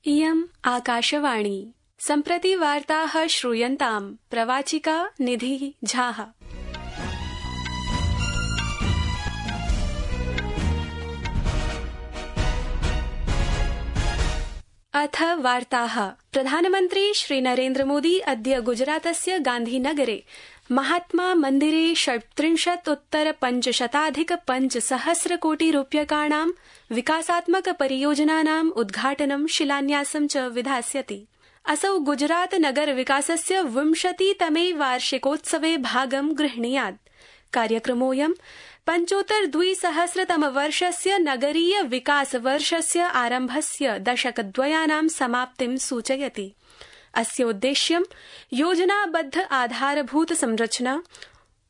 इयम् आकाशवाणी। सम्प्रति वार्ताः श्रूयन्ताम्। प्रवाचिका निधि झाः। अथ वार्ताः। प्रधानमन्त्री श्री नरेन्द्र मोदी अद्य गुजरातस्य गान्धीनगरे महात्मा मन्दिरे 37,500,500,000,000 विकासात्मक परियोजनानाम् उद्घाटनं शिलान्यासं च विधास्यति। असौ गुजरात नगर विकासस्य 20तमे वार्षिकोत्सवे भागं गृह्णीयात्। कार्यक्रमोऽयं 2025-तमवर्षस्य नगरीय विकास वर्षस्य आरम्भस्य दशकद्वयानां समाप्तिं सूचयति। अस्योद्देश्यं योजनाबद्ध आधारभूत संरचना,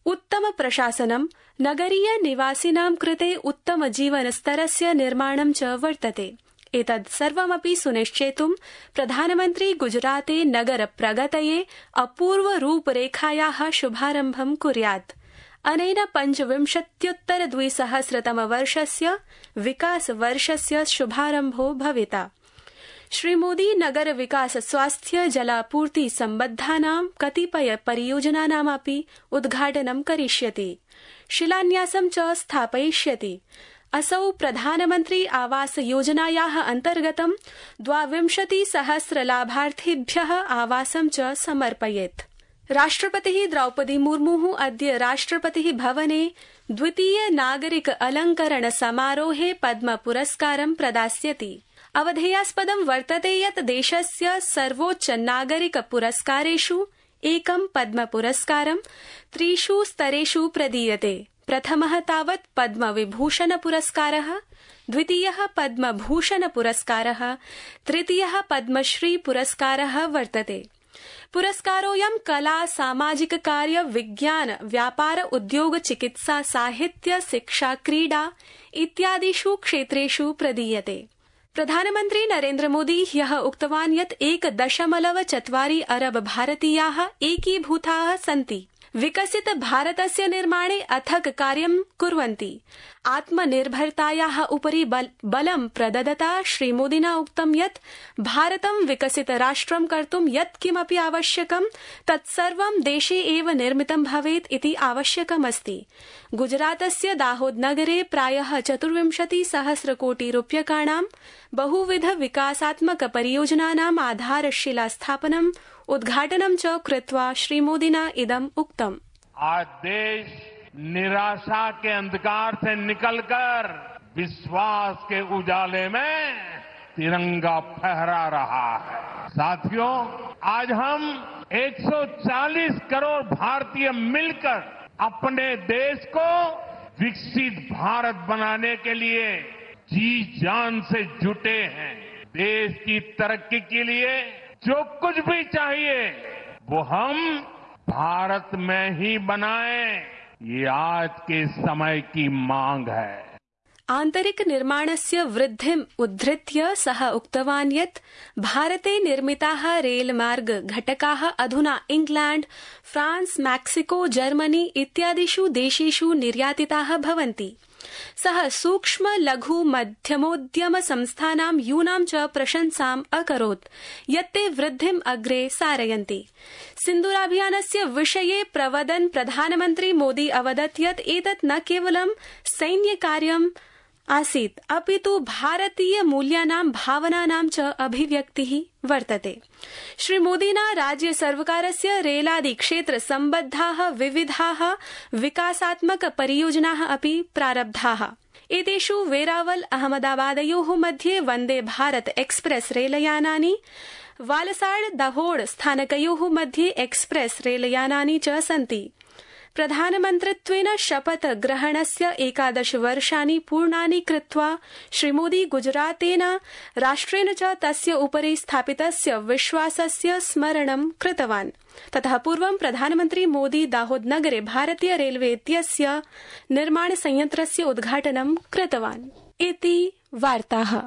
उत्तम प्रशासनं, नगरीय निवासिनां कृते उत्तम जीवनस्तरस्य निर्माणं च वर्तते। एतत् सर्वमपि सुनिश्चेतुं प्रधानमन्त्री गुजराते नगर प्रगतये अपूर्व रूपरेखायाः शुभारम्भं कुर्यात्। अनेन 25-उत्तर-2000-तमवर्षस्य विकास वर्षस्य शुभारम्भो भविता। श्रीमोदी नगर विकास, स्वास्थ्य, जलापूर्ति सम्बद्धानां कतिपय परियोजनानामपि उद्घाटनं करिष्यति। शिलान्यासं च स्थापयिष्यति। असौ प्रधानमन्त्री आवास योजनायाः अन्तर्गतं 22,000 लाभार्थिभ्यः आवासं च समर्पयेत्। राष्ट्रपतिः द्रौपदी मुर्मुः अद्य राष्ट्रपतिः भवने द्वितीय नागरिक अलङ्करण समारोहे पद्म पुरस्कारं प्रदास्यति। अवधेयास्पदं वर्तते यत् देशस्य सर्वोच्च नागरिक पुरस्कारेषु एकं पद्म पुरस्कारं 3 स्तरेषु प्रदीयते। प्रथमः तावत् पद्मविभूषण पुरस्कारः, द्वितीयः पद्मभूषण पुरस्कारः, तृतीयः पद्मश्री पुरस्कारः वर्तते। पुरस्कारोऽयं कला, सामाजिक कार्य, विज्ञान, व्यापार, उद्योग, चिकित्सा, साहित्य, शिक्षा, क्रीडा इत्यादिषु क्षेत्रेषु प्रदीयते। प्रधानमन्त्री नरेन्द्र मोदी ह्यः उक्तवान् यत् 1.4 अरब भारतीयाः एकीभूताः सन्ति। विकसित भारतस्य निर्माणे अथक कार्यं कुर्वन्ति। आत्मनिर्भरतायाः उपरि बलं प्रददता श्रीमोदिना उक्तं यत् भारतं विकसित राष्ट्रं कर्तुं यत् किमपि आवश्यकं तत्सर्वं देशे एव निर्मितं भवेत् इति आवश्यकमस्ति। गुजरातस्य दाहोद नगरे प्रायः 24,000 कोटि रूप्यकाणां बहुविध विकासात्मक परियोजनानाम् आधारशिला स्थापनम्, उद्घाटनं च कृत्वा श्रीमोदिना इदम् उक्तम्। आज देश निराशा के अंधकार से निकलकर विश्वास के उजाले में तिरंगा फहरा रहा है। साथियों, आज हम 140 करोड़ भारतीय मिलकर अपने देश को विकसित भारत बनाने के लिए जी जान से जुटे हैं। देश की तरक्की के लिए जो कुछ भी चाहिए वो हम भारत में ही बनाएं, ये आज के समय की मांग है। आन्तरिक निर्माणस्य वृद्धिम् उद्धृत्य सः उक्तवान् यत् भारते निर्मिताः रेलमार्ग घटकाः अधुना इंग्लैण्ड, फ्रांस, मैक्सिको, जर्मनी इत्यादिषु देशेषु निर्यातिताः भवन्ति। सः सूक्ष्म, लघु, मध्यमोद्यम संस्थानां यूनां च प्रशंसाम् अकरोत् यत् ते वृद्धिम् अग्रे सारयन्ति। सिन्दूराभियानस्य विषये प्रवदन् प्रधानमन्त्री मोदी अवदत् यत् एतत् न केवलं सैन्यकार्यम् आसीत् अपितु भारतीय मूल्यानां, भावनानां च अभिव्यक्तिः वर्तते। श्रीमोदिना राज्य सर्वकारस्य रेलादि क्षेत्र सम्बद्धाः विविधाः विकासात्मक परियोजनाः अपि प्रारब्धाः। एतेषु वेरावल अहमदाबादयोः मध्ये वन्दे भारत एक्सप्रेस रेलयानानि, वालसाड दाहोड स्थानकयोः मध्ये एक्सप्रेस रेलयानानि च सन्ति। प्रधानमन्त्रित्वेन शपथ ग्रहणस्य 11 वर्षाणि पूर्णानि कृत्वा श्रीमोदी गुजरातेन राष्ट्रेण च तस्य उपरि स्थापितस्य विश्वासस्य स्मरणं कृतवान्। ततः पूर्वं प्रधानमन्त्री मोदी दाहोद नगरे भारतीय रेलवे इत्यस्य निर्माण संयन्त्रस्य उद्घाटनं कृतवान्। इति वार्ताः।